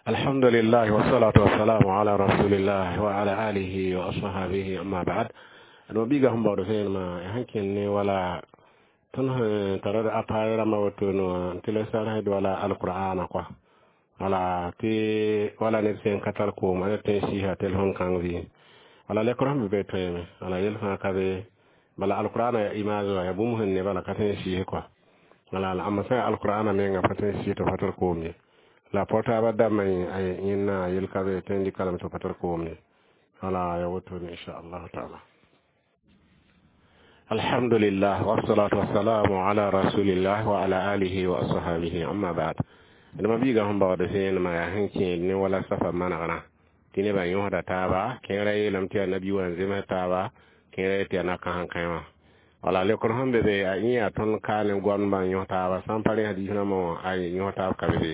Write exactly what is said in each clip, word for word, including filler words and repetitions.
Alhamdulillah wassalatu wassalamu ala rasulillah wa ala alihi wa ashabihi, amma ba'd. No biga sẽn baood vẽenemã sẽn kẽnd ne wala tõnd sẽn tara d appareil rãmbã woto no tɩ la sarsd wala alqur'ana kɔa, wala tɩ wala ned sẽn ka tar koom a tõe n sɩɩsa telefon kãng vɩ wala lekr sẽn be be tõeme wala yel fãa ka be bala alqur'ana ya image wã ya bũmb sẽn ne bala ka tõe n sɩɩs kɔa. Wala la ãmba sã alqur'ana menga pa tõe n sɩɩs tɩ pa tar koom ye, la portable dãmbã yẽnna yel ka be tõe n dɩka lame tɩ pa tar koom ye, wala ya wotone, inchallahu taala. Alhamdulillah wassalatu wassalamu ala rasulillah wa ala alihi wa ashabihi, amma ba'd. D ma biiga sẽn baood vẽenemã yaa sẽn kẽed ne wala safa manegrã tɩ nebã yõsda taaba. Kẽerã yeelame tɩ yaa nabi wã n zems taaba, kẽerã yetɩ yaa na-kãsem kãe wã. Wala lekr sẽn be be a yẽ yaa tõnd ka ne goamdbã n yõs taaba sã n pa rẽ hadiis rãmbã wã a yõs taab ka be be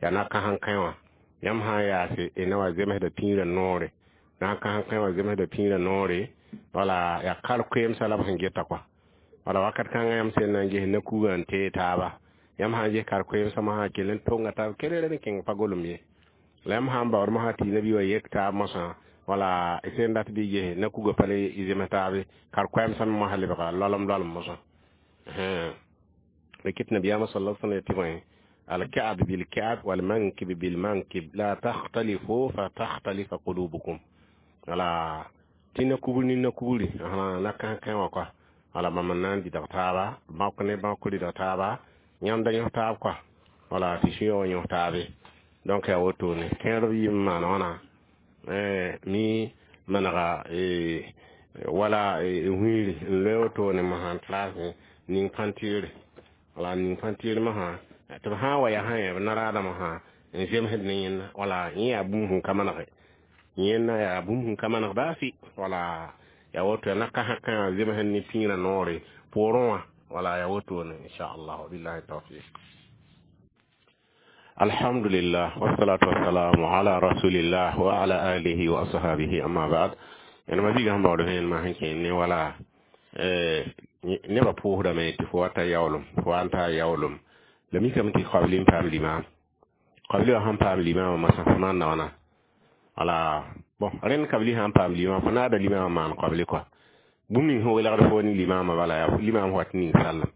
yaa na-kãsem kãe wã. Yãmb sã n yaase y na wa zemsda pĩirã noore, na-kãsem kãe wã zemsda pĩirã noore, wala yaa kar-koeemsã la b sẽn geta kɔa. Wala wakat kãngã yãmb sẽn na n ges na-kugã n tee taaba, yãmb sã n ges kar-koeemsã mosã kell n tonga taab kelre n kẽng pa golem ye. La yãmb sã n baood mosã tɩ nabi wã yek taab mosã, wala y sẽn dat bɩ ges na-kugã pa le zems taabe, kar-koɛɛmsã me mosã lebga loalem loalem mosã reket. Nabiyaamã sal l sãm tɩ bõe: الكعب بالكعب والمنكب بالمنكب، لا تختلفوا فتختلف قلوبكم. Wala tɩ na-kugr ne na-kugri na kãs-kãe wã kɔa, wala bãmb n na n dɩdg taaba bãk ne bãk rɩdg taaba, yãmb da yõs taab kɔa, wala tɩ sũ wã yõs taabe. Donc yaa wotone kẽer b yɩ n maan wãna mi manega wala wĩiri n loe wotone mosã n trase ning pãnteere, wala ning pãnteer mosã tɩ b sã n wa yaa sã b naraadã mosã n zemsd ne yẽnda, wala yẽ yaa bũmb sẽn ka manege yẽnda, yaa bũmb sẽn ka maneg baa fɩ. Wala yaa woto yaa na-kãsã kãe zemsd ne pĩirã noore poorẽ wã, wala yaa wotone, inchallah. Wabillahi tawfiq. Alhamdulillah wassalatu wassalamu ala rasulillah wa ala alihi wa ashabihi, amma ba'd. Yãmb biiga sẽn baood vẽenemã sẽn kẽed ne wala nebã pʋʋsdame tɩ fo wa ta yaoolem, fo wa n taa yaoolem. La mikame tɩ kabli n paam limaam, kabli wã sẽn paam limaamã masã fo maanda wãna? Wala bon, rẽnd kabli sã n paam limaam, fo naada limaamã maan kabli kɔa. Bũmb ning sẽn welgd fo ne limaamã, bala yaa limaam wat ning sallem,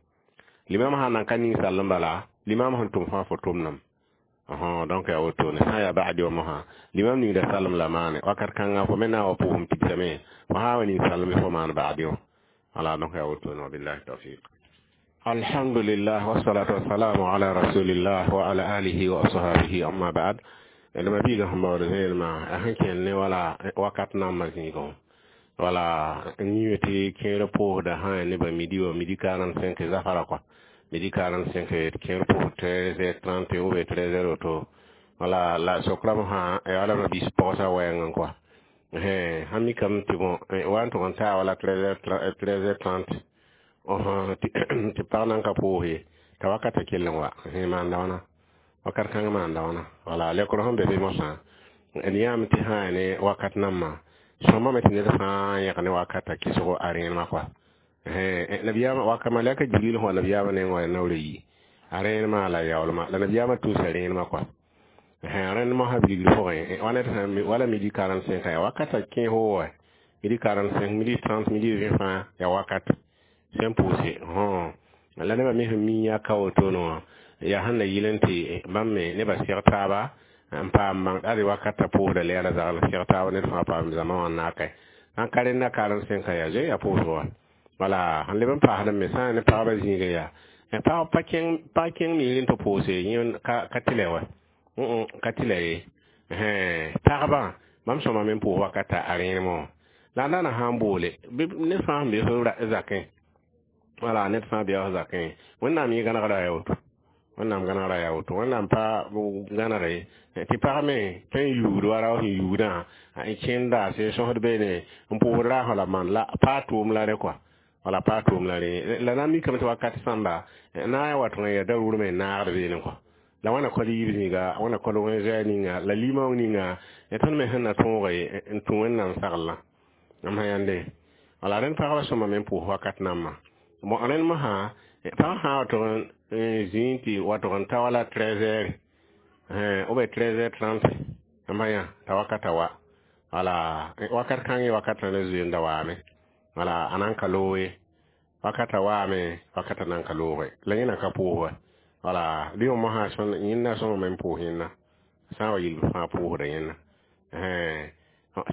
limaam sã n nan ka ning sallem, bala limaam sẽn tʋm fãa fo tʋmdame. Donc yaa wotone, sã n yaa ba'adi wã mosã limaam ningda sallem la maane wakat kãngã, fo me na n wa pʋʋsem tigsame, fo sã n wa ning sallem fo maan ba'adi wã. Wala donc yaa wotone. Wabillahi tawfiq. Alhamdulillah wassalatu wassalamu ala rasulillah wa ala alihi wa ashabihi, amma ba'd. D ma biiga sẽn baood vẽenemã sẽn kẽnd ne wala wakat nambã zĩigẽ, wala n yĩme tɩ kẽer pʋʋsda sã nebã midi wã, midi quarante-cinq zafara kɔa, midi quarante-cinq kẽer pʋʋs treize heures trente ou bien treize heures woto. Wala la sokra mosã yaa wala ma bis pagsã wɛɛngẽ kɔa, sãn mikame tɩ bõ wa n tʋg n taa wala treize heures trente tɩ pag nan ka pʋʋs ye, t'a wakata kell n wa maanda wãna, wakat kãng maanda wãna. Wala lekr sẽn be be mosã d yãame tɩ sã ya ne wakat nambã sõmbame tɩ ned fãa yẽg ne wakata kɩsgo a rẽenemã kɔa. Nabiyaamã waka malɛka Jibril sẽn wa nabiyaamã nengẽ wa naoor yi a rẽenemã la yaoolmã, la nabiyaamã tʋʋsa rẽenemã kɔa. Rẽnd mosã bilgr pʋgẽ wa ned sã wala midi quarante-cinq yaa wakata kẽes wa midi quarante-cinq, midi trente, midi vingt fãa yaa wakat sẽn pʋʋse. La nebã me sẽn mi yaa ka wotone wã yaa sẽn na yɩl n tɩ bãmb me nebã seg taaba n paam bãng ad wakata pʋʋsda lɛɛra zagl seg taaba ned fãa paam zãma wã n naaka sãn ka rẽnda quarante-cinq yaa zoe yaa pʋʋsg wã. Wala sẽn leb n paasd me sã n ne pagba zĩigẽ yaa pag pa kẽng pag kẽng miirẽ tɩ pʋʋse yẽ ka tɩ lɛ wa, ka tɩ lɛ ye. Pagba bãmb sõma me n pʋʋs wakata a rẽenemã wã, la a daana sã n boole ned fãa sẽn be f zakẽ, wala ned fãa bɩa f zakẽ. Wẽnnaam yẽ gãnegra yaa woto, Wẽnnaam gãnegra yaa woto, Wẽnnaam pa gãnege tɩ pag me tõe n yuugd wa rao sẽn yuugdã n kẽnda sẽn sõsd beene n pʋʋsd raasã la maan la paa tʋʋm la rẽ kɔa, wala paa tʋʋm la rẽ. La na n mikame tɩ wakat sãmba na n wa tõe n ya daruur me n naagd beene kɔa, la wãna kɔl yiib zĩiga, wãna kɔl wẽn-zoɛɛ ninga la limong ninga tõnd me sẽn na tõoge n tũ Wẽnnaam saglã m sã yãnde. Wala rẽnd pagba sõma me n pʋʋs wakat nambã. Bon, rẽnd mosã pag sã n wa tʋg n zĩig tɩ wa tʋg n ta wala treize heures. Ou bien treize heures trente n pa yã t'a wakata wa. Wala wakat kãngẽ wakatã la zoe n da waame. Wala a nan ka loog ye. Wakata waame, wakata nan ka looge. La yẽ nan ka pʋʋs wa. Wala bɩ mosã yẽnda sõngame n pʋʋs yẽnda. Sã n wa yɩl b fãa pʋʋsda yẽnda.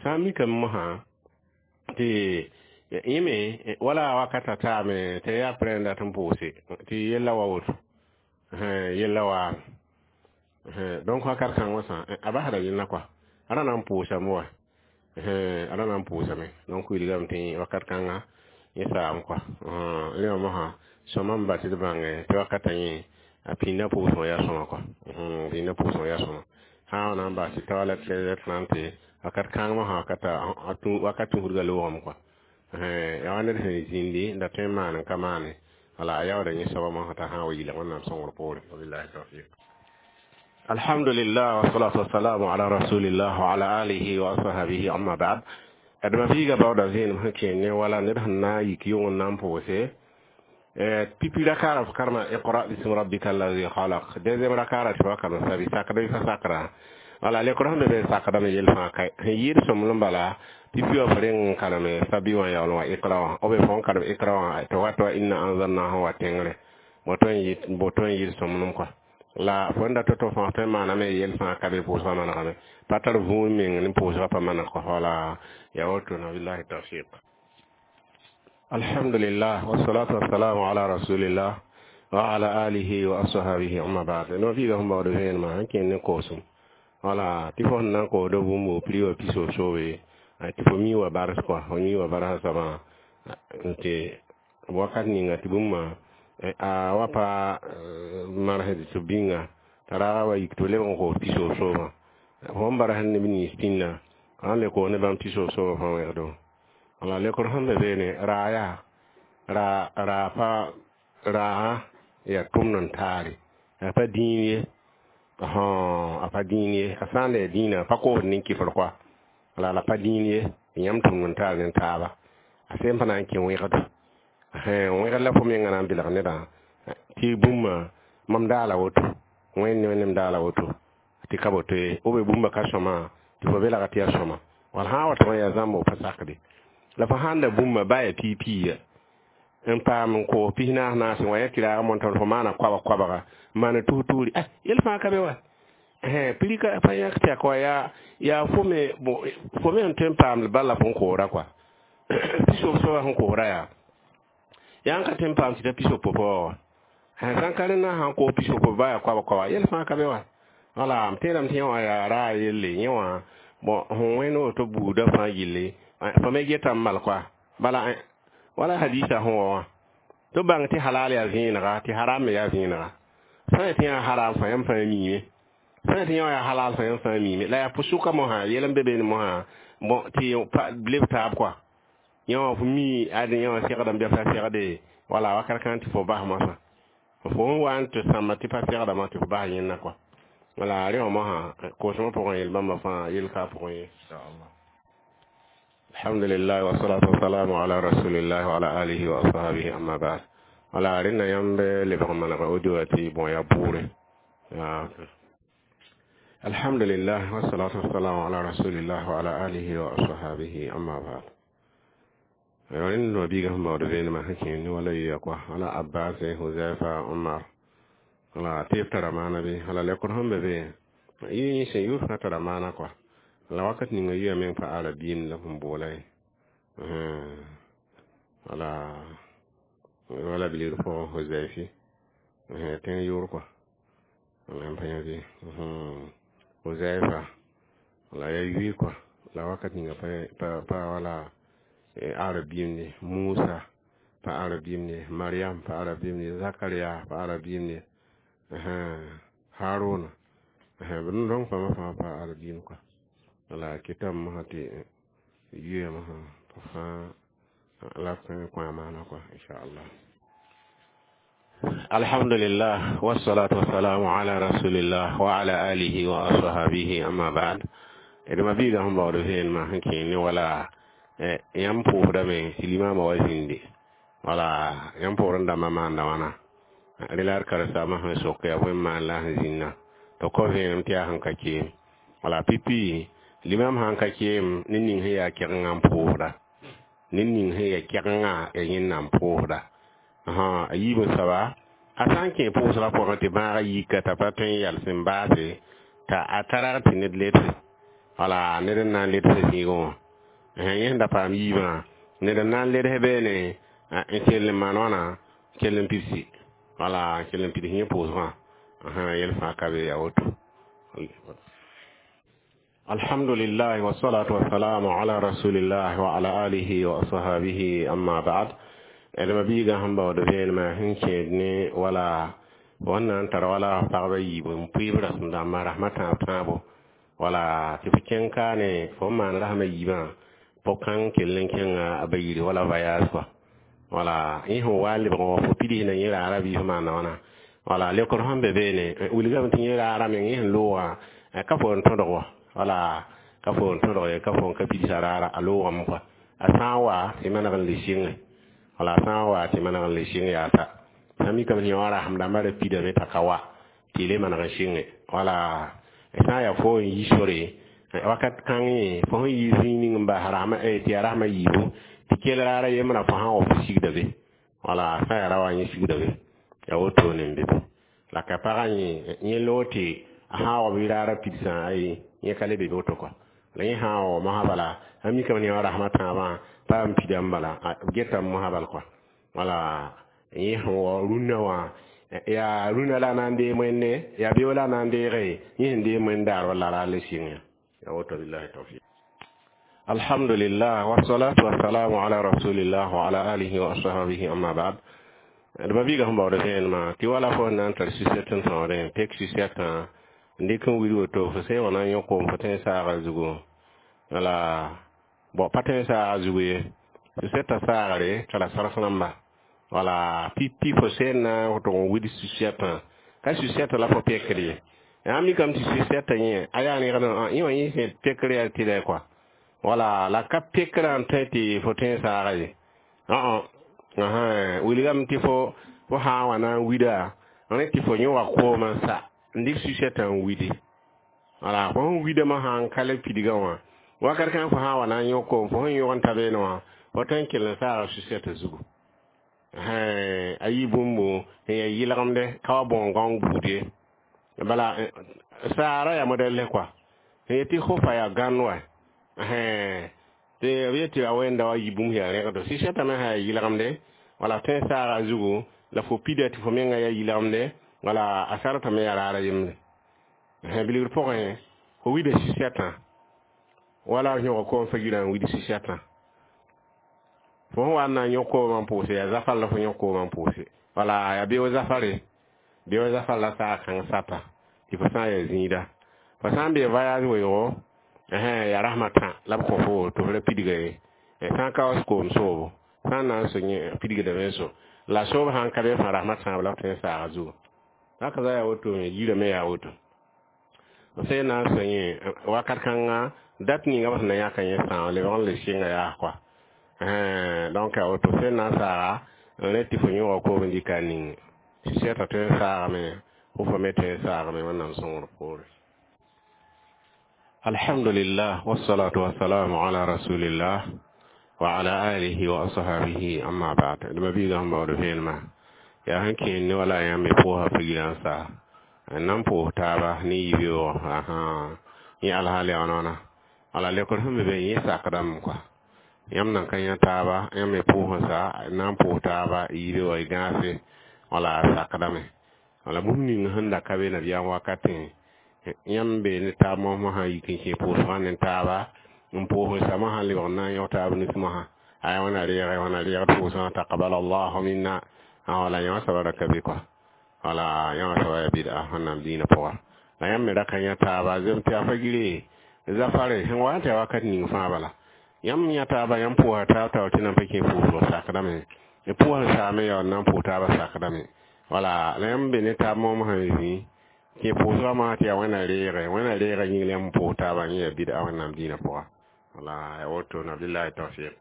Sã n mikame mosã tɩ yẽ me wala wakata taame tɩ yaa prẽ n dat n pʋʋse tɩ yella wa woto. Yella waame. Donc wakat kãng wã sã a basda yẽnda kɔa. A ra na n pʋʋsame wa. A ra na n pʋʋsame. Donc wilgame tɩ wakat kãnga yẽ saam kɔa. Rẽ wã mosã sõma n bas tɩ d bãnge tɩ wakata yẽ a pĩndã pʋʋsgã yaa sõma kɔa. Pĩndã pʋʋsgã yaa sõma. Sã n wa na n bas tɩ ta wala treize heures trente wakat kãng mosã wakata wakat tũudgã loogame kɔa. Yaa wa ned sẽn zĩndi n da tõe n maan n ka maane. Wala a yaooda yẽ soaba mosã t'a sã n wa yɩlg Wẽnnaam sõngr poore. Wabillahi tawfiq. Alhamdulillah wassalatu wassalamu ala rasulillah wa ala alihi wa ashabihi amma ba'd. Adama fiiga baooda vẽenem sẽn kẽer ne wala ned sẽn na n yik yʋng n na n pʋʋse pipi rakaara f karema iqra bismi rabbika allazi khalaq. Deuxième rakaara tɩ fa karem sabi sakda bɩ fa sakra. Wala lekr sẽn be be sakdame yell fãa ka sẽn yɩɩd sõmblem bala pipi wã f reng n kareme sabi wã yaool wã iqra wã b fo n karem iqra wã tɩ wat wa inna anzalnahu wa tẽngre boto n yɩɩd sõmblem kɔa. La fo n dat tɩ fãa tõe n maaname yell fãa ka be pʋʋsgã manegame pa tar vũun meng ne pʋʋsgã pa maneg kɔ. Wala yaa woto na billahi tawfiq. Alhamdulillah wassalatu wassalamu ala rasulillah wa ala alihi wa ashabihi amma ba'd. No fiiga sẽn baood vẽenemã sẽn kẽnd ne koosem. Wala tɩ fo sẽn na n koosda bũmb prix wã pisoog-soobe tɩ fo mi wa bars kɔa, fo mi wa barsã soabã tɩ wakat ninga tɩ bũmba a wa pa marsd tɩ bĩnga t'a ra wa yik tɩ b lebg n koos pisoog-soobã. Fo n barsd neb nins pĩnda sã n le koos ne bãmb pisoog-soobã fãa wẽgdo. Wala lekr sẽn be beene raa yaa raa raa pa raasã yaa tʋmd n taare. A pa dĩin ye. A pa dĩin ye. A sã n la yaa dĩinã a pa koosd nin-kɩfr kɔa. Wala la pa dĩin ye tɩ yãmb tʋmd n taar ne taaba. A sem pa na n kẽ wẽgdo. Wẽgd la fo mengã na n belg nedã tɩ bũmba mam daala woto. Wẽnd ne Wẽnnaam daala woto tɩ ka boto ye. Ou bien bũmba ka sõma tɩ fo belga tɩ yaa sõma. Wala sã n wa tɩ yaa zãmb pa sakde. La fo sãn da bũmba ba yaa piig-piiga n paam n koos pis-naas naas n wa yã tɩ raag montã fo maana koabg-koabga n maana tus-tuuri ah yell fãa ka be wa. Prix ka pa yãk tɩ yaa yaa yaa fo me fo me sẽn tõe n paamd bala fo n koosda kɔa. Pisoog soabã sẽn koosda yaa yaa n ka tõe n paam tɩ ta pisoog pʋpã wa. Sãn ka rẽndã sãn koos pisoog pʋpã ba yaa koabg-koabga yell fãa ka be wa. Wala m tẽedame tɩ yẽ wã yaa raa yelle yẽ wã bon sẽn wẽnd woto buudã fãa yelle fo me getame mal kɔa. Bala wala hadisa sẽn wa wã tɩ b bãng tɩ halal yaa vẽenega tɩ haram me yaa vẽenega. Sã n tɩ yã haram fãa yãmb fãa miime. Sã n tɩ yã wã yaa halal fãa yãmb fãa miime. La yaa pʋ-sʋka mosã yɛl n be beene mosã bon tɩ leb taab kɔa. Yẽ wã fo mi ad yẽ wã segdame bɩ fa segde wala wakat kãng tɩ fo bas mosã. Fo n wa n tɩ sãmba tɩ pa segdame tɩ fo bas yẽnda kɔa. Wala rẽ wã mosã koosmã pʋgẽ yel bãmba fãa yell ka pʋgẽ ye inchallah. Alhamdulillah wassalatu wassalamu ala rasulillah wa ala alihi wa ashabihi amma ba'd. Wala rẽnda yãmb lebg n manega audio tɩ bõe yaa bʋʋre. Alhamdulillah wassalatu wassalamu ala rasulillah wa ala alihi wa ashabihi amma ba'd. Rẽnd mabiigã sẽn baood vẽenemã sẽn kẽer ne wala yoya kɔa. Wala Abbas, Huzaifa, Omar. Wala tɩ b tara maana bɩ. Wala lekr sẽn be be yẽ sẽn yʋʋr fãa tara maana kɔa. La wakat ninga yuya meng pa arabiim la sẽn boola ye. Wala wala bilgr pʋgẽ Huzaifi tẽng yʋʋr kɔa. Wala n pa yã bɩ Huzaifa la yaa yʋɩ kɔa. La wakat ninga pa pa wala arabiim ne. Musa pa arabiim ne. Mariam pa arabiim ne. Zakaria pa arabiim ne. Haruna b rõng pãmbã fãa pa arabiim kɔa. Wala kɩtame mosã tɩ yuya mosã pa fãa la tõe n kõ a maana kɔa inchallah. Alhamdulillah wassalatu wassalamu ala rasulillah wa ala alihi wa ashabihi amma ba'd. D mabiigã sẽn baood vẽenemã sẽn kẽer ne wala yãmb pʋʋsdame tɩ limamã wa zĩndi. Wala yãmb pʋʋsd n dãmbã maanda wãna. Rẽ la d karen-saambã sẽn sok yaa bõe n maan la sẽn zĩnna tɩ tɩ kõ vẽenem tɩ yaa sẽn ka keem wala pipi limam sãn ka keem ned ning sẽn yaa kɛgengã n pʋʋsda ned ning sẽn yaa kɛgengã yaa yẽnda n pʋʋsda a yiib n soaba a sã n kẽ pʋʋsgã pʋgẽ tɩ bãagã yika t'a pa tõe n yal sẽn baase t'a a tarag tɩ ned ledse wala ned n na n ledse zĩigẽ wã yẽ sẽn da paam yiibã ned n na n ledse beene n kell n maan wãna kell n pidsi wala n kell n pids yẽ pʋʋsgã yɛl fãa ka be yaa woto. Alhamdulillah, wassalatu wassalamu ala rasulillah wa ala alihi wa ashabihi, amma ba'd. D mabiigã sẽn baood vẽenemã sẽn kẽed ne wala fo sẽn na n tar wala pagba yiib n pʋɩɩb rasem dãmbã rasmã tãab tãabo wala tɩ fo kẽng kaane fo n maan rasmã yiibã pʋg-kãng kell n kẽnga a ba yiri wala voyage kɔa wala yẽ sẽn wa n lebg wã fo pids na yẽ raara bɩ fo maanda wãna wala lekr sẽn be beene wilgame tɩ yẽ raara meng yẽ sẽn loogã ka fo n tõdg wa wala ka fo n tõdg ye ka fo n ka pidsa raara a loogame kɔa a sã n wa tɩ maneg n le sɩnge wala a sã n wa tɩ maneg n le sɩng yaa ta sã mikame tɩ yõ rasem dãmbã ra pidame t'a ka wa tɩ y le maneg n sɩnge wala sã n yaa fo n yi sore wakat kãng yẽ fo sẽn yi zĩig ning n bas rasmã tɩ yaa rasmã yiibu tɩ kell raara yembrã fo sã n wa fo sigda be wala sã n yaa ra wa yẽ sigda be yaa wotone n be be la ka pagã yẽ yẽ loog tɩ a sã n wa bɩ raara pidsã ayi yẽ ka le be woto kɔa la yẽ sã n wa mosã bala a mikame tɩ yõ rasmã tãabã pa n pida n bala b getame mosã bal kɔa wala yẽ sẽn wa rũnnã wã yaa rũnã la a na n deem wẽnde yaa beoog la a na n deege yẽ sẽn deem wẽndaar wala ra le sɩng ya yaa woto. Billahi tawfiq. Alhamdulillah, wassalatu wassalamu ala rasulillah wa ala alihi wa ashabihi, amma ba'd. D mabiigã sẽn baood vẽenemã tɩ wala fo n na n tar sucette n tõodẽ pek sucette n dɩk n wilg woto fo sẽn wa na n yõ koom fo tõe n saaga zugu wala bon pa tõe n saaga zugu ye sucette saagre tara sars rãmba wala pipi fo sẽn na n tʋg n wid sucette ka sucette la fo pekd ye yaa mikame tɩ sucette yẽ a yaa rẽgd yẽ wã yẽ sẽn pekr yaa tɩlɛ kɔa wala la ka pekrã n tõe tɩ fo tõe n saaga ye wilgame tɩ fo fo sã n wa na n wida rẽ tɩ fo yõ wa koomã sa n dɩk sucette n widi wala fo sẽn widame sã n ka le pidgã wã wakat kãng fo sã n wa na n yõ koom fo sẽn yõg n ta beene wã fo tõe n kell n saaga sucette zugu a yɩ bũmbu sẽn yaa yɩlgemde ka wa bõo gãong buud ye bala saara yaa modɛl kɔa sẽn yetɩ fo fa yaa gãnd wa tɩ b yetɩ a wẽnda wa yɩ bũmb yaa rẽgdo sucette me sã yaa yɩlgemde wala tõe n saaga zugu la fo pida tɩ fo menga yaa yɩlgemde wala a sartame yaa raara yembre bilgr pʋgẽ fo wida sucette wala yõg koom fa yirã n wid sucette fo sẽn wa n na n yõk koomã n pʋʋse yaa zafar la fo yõk koomã n pʋʋse wala yaa beoog zafare beoog zafar la saag kãng sata tɩ fo sã n yaa zĩida fo sã n bee voyage weoogo yaa rasmã tã la b kõ fo tɩ f ra pidga ye sã n ka wa koom soobo sã n na n so yẽ pidgdame n so la soob sã n ka be fã rasmã tãab la f tõe n saaga zugu haka za yaa woto me yirame yaa woto sẽn na n so yẽ wakat kãnga dat ninga b sẽn na yãka yẽ sãam lebg n le sɩnga yaa kɔa donc yaa woto sẽn na n saaga n rẽ tɩ fo yõga koom n dɩka n ning sucette tõe n saagame fo fo me tõe n saagame Wẽnnaam sõngr poore. Alhamdulillah, wassalatu wassalamu ala rasulillah wa ala alihi wa ashabihi, amma ba'd. D mabiigã sẽn baood vẽenemã yaa sẽn kẽed ne wala yãmb me pʋʋsa figirã n saa n na n pʋʋs taaba ne yibeoogo yẽ alhaal yaa wãna wala lekr sẽn be be yẽ sakdame kɔa yãmb nan ka yã taaba yãmb me pʋʋs n sa n na n pʋʋs taaba yibeoogã y gãase wala a sakdame wala bũmb ning sẽn da ka be nabiyaam wakatẽ yãmb be ne taab mosmã sã yik n kẽ pʋʋsgã ne taaba n pʋʋs n samã sã lebg n na n yõg taab nus mosã aya wãna reege wãna reegd pʋʋsgã taqabal allahu minna wala yã wã soaba ra ka be kɔa wala yã wã soaba yaa bɩda Wẽnnaam dĩinã pʋga la yãmb me ra ka yã taaba zem tɩ a fa gire zafare sẽn wa n tɩ ya wakat ning fãa bala yãmb yã taaba yãmb pʋʋsa taab taoor tɩ nan pa kẽ pʋʋsg sakdame pʋʋs n saame yaa n na n pʋʋs taabã sakdame wala la yãmb be ne taab moom sã n zĩ kẽ pʋʋsgã mosã tɩ yaa Wẽnna reege Wẽnna reega yĩng la yãmb pʋʋs taabã yẽ yaa bɩda Wẽnnaam dĩinã pʋga wala ya woto na. Billahi tawfiq.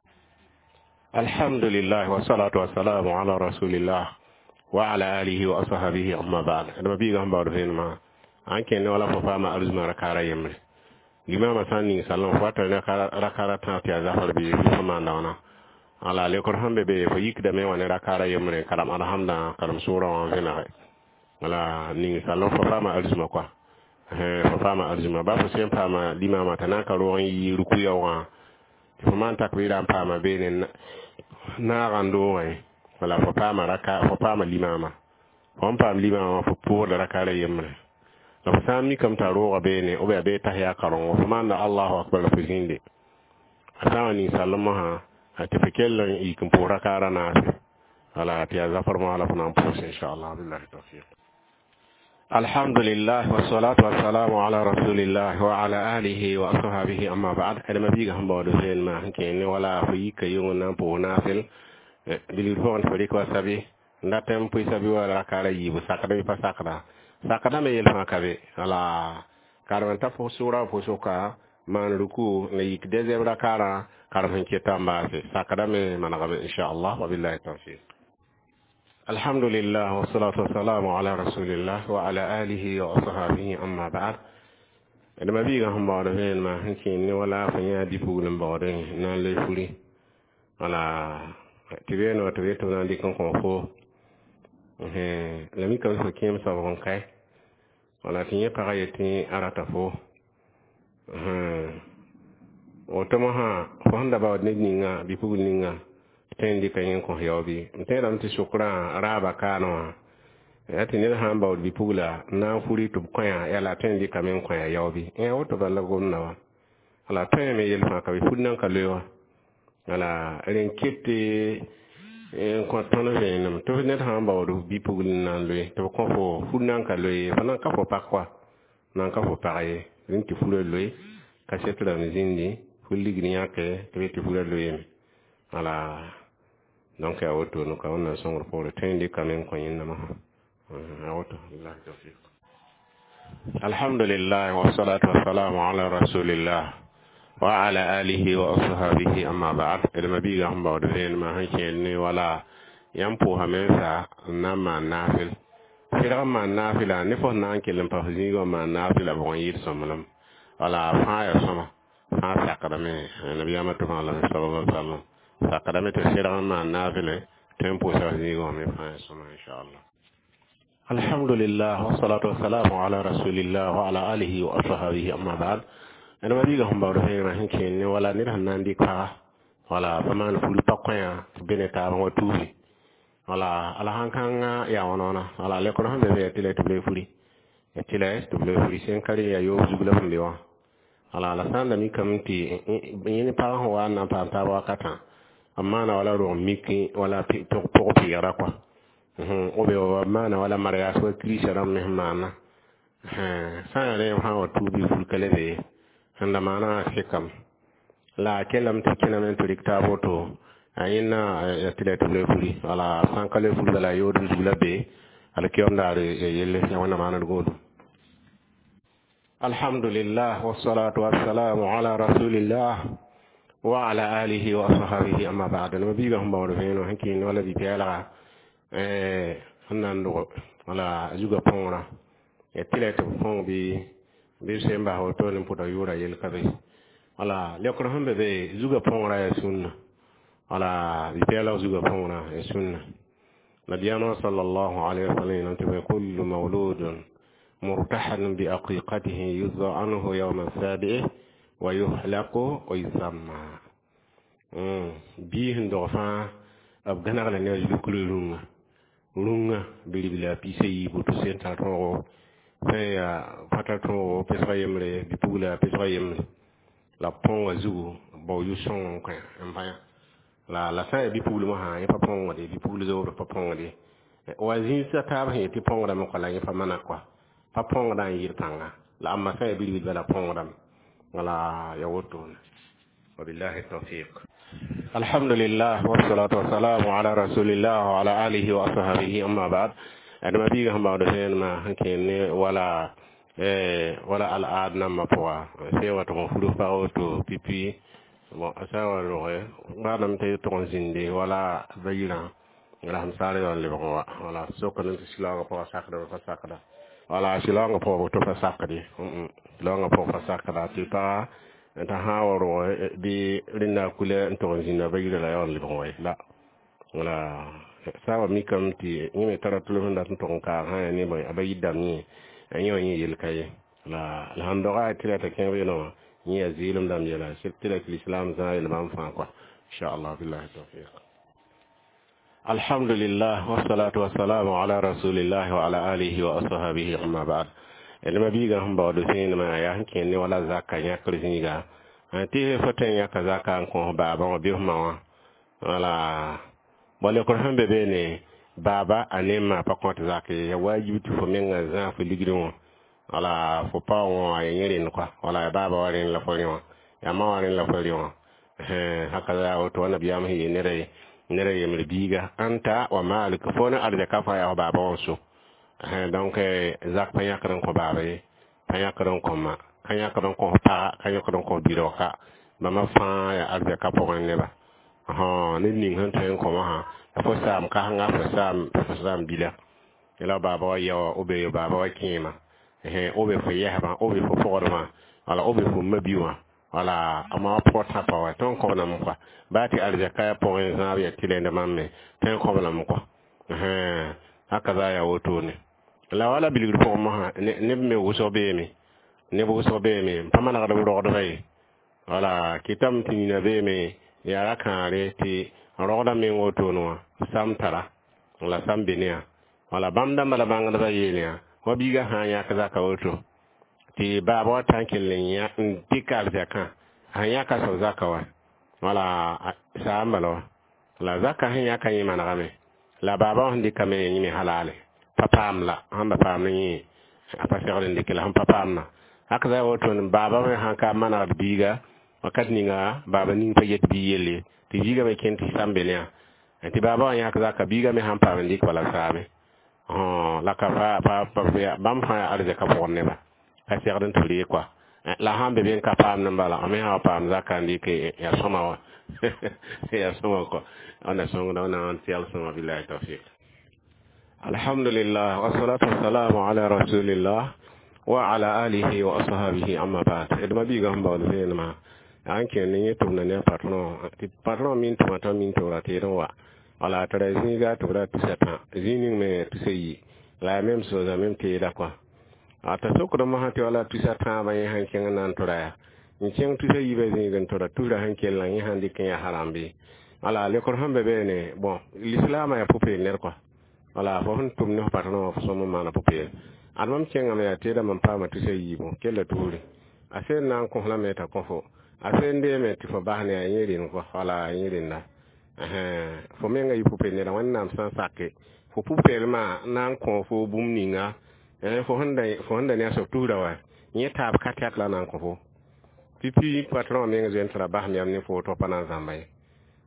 Alhamdulillah, wassalatu wassalamu ala rasulillah wa ala alihi wa ashabihi, amma ba'd. D mabiigã sẽn baood vẽenemã An kẽne wala fo paama arzũma rakaara yembre. Limama sã n ning salem fo wa tara rakaara tãab tɩ yaa zafar bɩ fo maanda wãna. Ala lekr sẽn be be fo yikdame wã ne rakaara yembre n karem alhamdã, karem sʋʋrã wã n vẽnege. Wala ning salem fo paama arzũma kɔa, fo paama arzũma ba fo sẽn paama limama t'a na n ka roog n yi ruku yaoogã tɩ fo maan takbɩɩrã n paama beene naagã n doogẽ. Wala fo paama raka, fo paama limama, fo n paam limama, fo pʋʋsda rakaara yembre. La fo sã n mikame t'a rooga beene b yaa bee tahiya karengo, fo maanda allahu akbar la fo zĩnde. A sã n wa ning salem mosã tɩ fo kell n yik n pʋʋs rakaara naase, wala tɩ yaa zafar mosã la fo na n pʋʋs, inchallah. Billahi tawfiq. Alhamdulillah, wassalatu wassalamu ala rasulillah wa ala alihi wa ashabihi, amma ba'd. Adama biiga sẽn baood vẽenemã sẽn kẽ ne wala fo yika yʋng n na n pʋʋs naasel bilgr pʋgẽ tɩ fo rɩk wa sabi n dat n pʋɩ sabi wa rakaara yiibu, sakda bɩ pa sakda? Sakda me yel fãa ka be. Wala karem n ta fo sʋʋra fo sʋka maan ruku la yik deuxième rakaarã karem sẽn keta n baase, sakda me manegame, inchallah. Wabillahi tawfiq. Alhamdulillah, wassalatu wassalamu ala rasulillah wa ala alihi wa ashabihi, amma ba'd. Adama biiga sẽn baood vẽenemã sẽn kẽ ne wala fo yã bi-pugl n baoodẽ na n loe furi. Wala tɩ beene wa tɩ b yet tɩ b na n dɩk n kõ fo la mikame fo kẽem soab n kae, wala tɩ yẽ pagã yetɩ a rata fo woto mosã, fo sẽn da baood ned ninga bi-pugl ninga tõe n dɩka yẽ n kõs yao bɩ? M tẽedame tɩ sokrã raaba kaane wã yaa tɩ ned sã n baood bi-pugla n na n furi tɩ b kõ-yã yaa la a tõe n dɩkame n kõ-yã yao bɩ? Ẽ, woto bala la gomda wã. Wala tõeme yel fãa ka be, fur nan ka loe wã. Wala rẽn ket n kõ tõnd vẽenem tɩ ned sã n baood bi-pugl n na n loe tɩ b kõ fo, fur nan ka loe ye, fo nan ka fo pag kɔa, nan ka fo pag ye. Rẽnd tɩ furã loe kaset rãmb zĩndi, fur ligd yãke tɩ b yet tɩ furã loeeme. Wala donc yaa woto no ka wẽnnaam sõngr poore tõe n dɩkame n kõ yẽnda mosã yaa woto. Billahi tawfiq. Alhamdulillah, wassalatu wassalamu ala rasulillah wa ala alihi wa ashabihi, amma ba'd. Adama biiga sẽn baood vẽenemã sẽn kẽer ne wala yãmb pʋʋsame n sa n na n maan naafel sɩdg n maan naafɩla ne fo sẽn na n kell n pa fo zĩigã n maan naafɩla bʋg n yɩɩd sõmblem. Wala fãa yaa sõma, fãa sakdame nabiyaamã tʋmã lame sallallahu alaihi wasallam sakdame tɩ sɩdg n maan naafɩle tõe n pʋʋsa f zĩigã wã me, fãa yaa sõma, inchallah. Alhamdulillah, wassalatu wassalamu ala rasulillah wa ala alihi wa ashabihi, amma ba'd. Adama biiga sẽn baood vẽenemã sẽn kẽer ne wala ned sẽn na n dɩk paga, wala pa maan furi pa kõ-yã tɩ be ne taab n wa tuufi. Wala ala sãn kãngã yaa wãna wãna. Wala lekr sẽn be be yaa tɩ la tɩ b loe furi, ya tɩ la tɩ b loe furi sẽn ka rẽ yaa yoob zug la b sẽn be wã. Wala la sã n da mikame tɩ yẽ ne pag sẽn wa n na n paam taab wakatã, b maana wala rog miki wala pʋg-peegrã kɔa b maana wala mariage wa kirisa rãmb me sẽn maana sã n yaa rẽ, sã n wa tuub bɩ fur ka le be ye sẽn da maanã sɩkame la a kellame tɩ kẽname n tɩ rɩk taab woto a yẽnna ya tɩ la tɩ b loe furi. Wala sã n ka loe furi, bala yood zug la be alkiyom daar ya yelle ya wẽnnaam maaned goodum. Alhamdulillah, wassalatu wassalamu ala rasulillah wa ala alihi wa ashabihi, amma ba'd. No biiga sẽn baood vẽeneg sẽn kẽend wala bi-pɛɛlga sẽn na n dog wala zugã põorã ya tɩ la tɩ b põog bɩ bɩ b sẽn bas woto ne pʋda yʋʋra yel ka be. Wala lekr sẽn be be zugã põorã yaa sũnna, wala bi-pɛɛlg zugã põorã yaa sũnna. Nabiyaamã sallallahu alayhi wa sallam yeelame tɩ kullu mawludun murtahanun bi aqiqatihi yuzza anhu yawma sabi'i wa yuhlaqu wa yusamma. Bii sẽn dog fãa b gãneg la ne a zugr rũngã rũngã bilibla piis a yiibu tɩ sẽn tar tõogo sẽn yaa pa tar tõogo pesga yembre, bi-pugla pesga yembre la b põoga zugu bao yʋ-sõng n kõ n bã. La la sã n yaa bi-pugl mosã, yẽ pa põongde, bi-pugl zoobr pa põongde wa zĩisã taab sẽn yet tɩ põongdame kɔa la yẽ pa mana kɔa pa põongda n yɩɩd pãnga la amma sã n yaa bilibl bala põongdame. Wala ya wotone. Wabillahi tawfiq. Alhamdulillah, wassalatu wassalamu ala rasulillah wa ala alihi wa ashabihi, amma ba'd. Adama biiga sẽn baood vẽenemã sẽn kẽer ne wala wala al-aad nambã pʋga sẽn wa tɩg n furus pag woto pipi bon a sã n wa roge baadame tɩ tʋg n zĩnde wala bayirã la sẽn saar yaool lebg n wa. Wala sokame tɩ silaoogã pʋgã sakdame pa sakda. Wala silaoongã pʋgã tɩ pa sakd ye, silaoongã pʋgã pa sakda tɩ pa t'a sã n wa rog bɩ rẽnda kula n tog n zĩnda ba yirã la yaool n lebg n wa ye la. Wala saaba mikame tɩ yẽ me tara tʋlem sẽn dat n tog n kaag sã n ne a ba yir dãmb yẽ, yẽ wã yẽ yel ka ye. La la sãn doga tɩ la t'a kẽng beene wã, yẽ yaa zɩɩlem dãmb yɛla tɩ la tɩ lislaam zãag yel bãmb fãa kɔa, inchallah. Billahi tawfiq. Alhamdulillah, wassalatu wassalamu ala rasulillah wa ala alihi wa ashabihi, amma ba'd. Neba biiga sẽn baood zẽenemã yaa sẽn kẽer ne wala zaka yãkr zĩiga tɩ fo tõe n yãka zaka n kõ baabã wã bɩ f ma wã. Wala bõ lekr sẽn be beene, baaba a ne ma pa kõt zak ye, ya wajib tɩ fo menga zãag fo ligdẽ wã. Wala fo pa wã ya yẽ rẽnd kɔa, wala ya baaba wa rẽnd la fo rẽ wã, ya ma wã rẽnd la fo rẽ wã. Haka yaa woto wa nabiyaam sẽn yeel neda ned a yembr biiga anta wa maaluk fo ne arzɛka fãa yaa f baaba wã so. Donc zak pa yãkd n kõ baaba ye, pa yãkd n kõ ma, ka yãkd n kõ f paga, ka yãkd n kõ bi-raoka, bãmba fãa yaa arzɛka pʋgẽ neba. Ned ning sẽn tõe n kõ wã la fo saam kãsenga, fo saam fo saam bila la baaba wa ya wã, b baaba wa kẽema, b fo yɛsbã, b fo pogdmã, wala b fo ma-bi wã, wala a ma pʋgã tãpa wa tõe n kõb lame kɔa, baa tɩ arzɛka yaa pʋgẽ zãab yaa tɩlend bãmb me tõe n kõb lame kɔa. Haka za yaa wotone. La wala bilgr pʋgẽ mosã neb me wʋsg beeme, neb wʋsg beeme n pa manegd b rogdbã ye. Wala kɩtame tɩ nina beeme yaa ra kãagre tɩ rogdã meng wotone wã sam tara la sam be ne yã. Wala bãmb dãmbã la bãngdbã yeel yã wa biigã sã n yãk zaka woto tɩ baaba wa tã n kell n dɩk arzɛkã sẽn yãka soab zaka wa, wala saam bala wa la zaka sẽn yãka yẽ manegame la baaba wã sẽn dɩkame yẽ me halale pa paam la sẽn ba paam ne yẽ a pa segd n dɩk la sẽn pa paamna. Haka za wotone baaba me sãn ka manegd biiga wakat ninga baaba ning pa yet bii yelle tɩ biigã me kẽnd tɩ sam be ne yã tɩ baaba wã yãk zaka, biigã me sãn paam n dɩk bala saame la ka pa bãmb fãa yaa arzɛka pʋgẽ neba ka segd n tɩ b ree kɔa. La sãn be be n ka paamd n bala, me sã wa paam zaka n dɩk yaa sõma wa, yaa sõma kɔ. Wẽnna sõngda wẽnnaam tɩ yal sõma. Billahi tawfiq. Alhamdulillah, wassalatu wassalamu ala rasulillah wa ala alihi wa ashabihi, amma ba'd. D ma biigã sẽn baood zẽenemã yaa n kẽer ne yẽ tʋmda ne a patron, tɩ patron min tʋma t'a min tɩ b ra teed n wa. Wala tara zĩiga tɩ b ra tusa tã zĩig ning me tusa yi la yaa même chose, a même teeda kɔa. T'a sokd mosã tɩ wala tusa tãabã yẽ sãn kẽng n na n tʋra yaa n kẽng tusa yiibã zĩig n tʋra tusrã sẽn kellã, yẽ sãn dɩk n yaa haram bɩ? Wala lekr sẽn be beene, bon, lislaamã yaa pʋ-peel ned kɔa. Wala fo sẽn tʋm ne f patron wã, fo sõm n maana pʋ-peele. Ad mam kẽngame yaa teedã mam paama tusa yiibu kella tuure a seen na n kõs lame t'a kõ fo a seen deeme tɩ fo bas ne a yẽ rẽnd kɔa, wala yẽ rẽnda fo menga yɩ pʋ-peel neda. Wẽnnaam sã n sake fo pʋ-peelmã na n kõ fo bũmb ninga fo sẽn da ne a soab tusrã wa, yẽ taab ka tɛk la na n kõ fo pipi patron meng zoe n tɩ ra basem yam ne fo tɩ pa na n zãmba ye.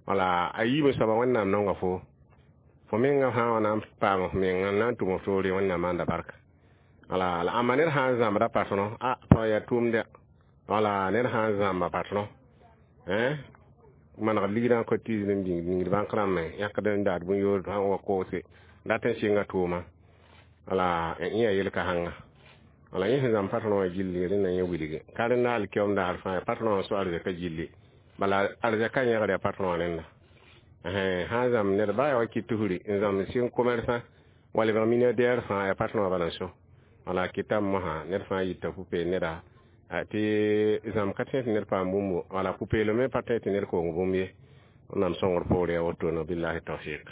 Wala a yiibẽ soaba Wẽnnaam nonga fo fo menga sã n wa na n paam f menga n na n tʋm f toore, Wẽnnaam maanda barka. Wala la ãmba ned sã n zãmbda patron a pa yaa tʋʋmdɛ. Wala ned sã n zãmba patron manegd ligdã n kotise n bĩng bãnk rãmbẽ yãkd n daad bũn-yoor sã n wa koose dat n sɩnga tʋʋma, wala yẽ yaa yel-kãsengã. Wala yẽ sẽn zãmb patron wã gilli rẽnda yẽ wilge ka rẽnda alkiom daar fãa patron wã so arzɛka gilli, bala arzɛka yẽgr yaa patron wã rẽnda sã n zãmb ned baa yaa wa kɩt tusri n zãmb sɩng commerçant wa lebg milliardaire fãa yaa patron wã bala n so. Wala kɩtame mosã ned fãa yita pʋ-peel neda tɩ zãmb ka tẽ tɩ ned paam bũmbo, wala pʋ-peelem me pa tẽ tɩ ned koong bũmb ye. Wẽnnaam sõngr poore yaa wotone. Billahi tawfiq.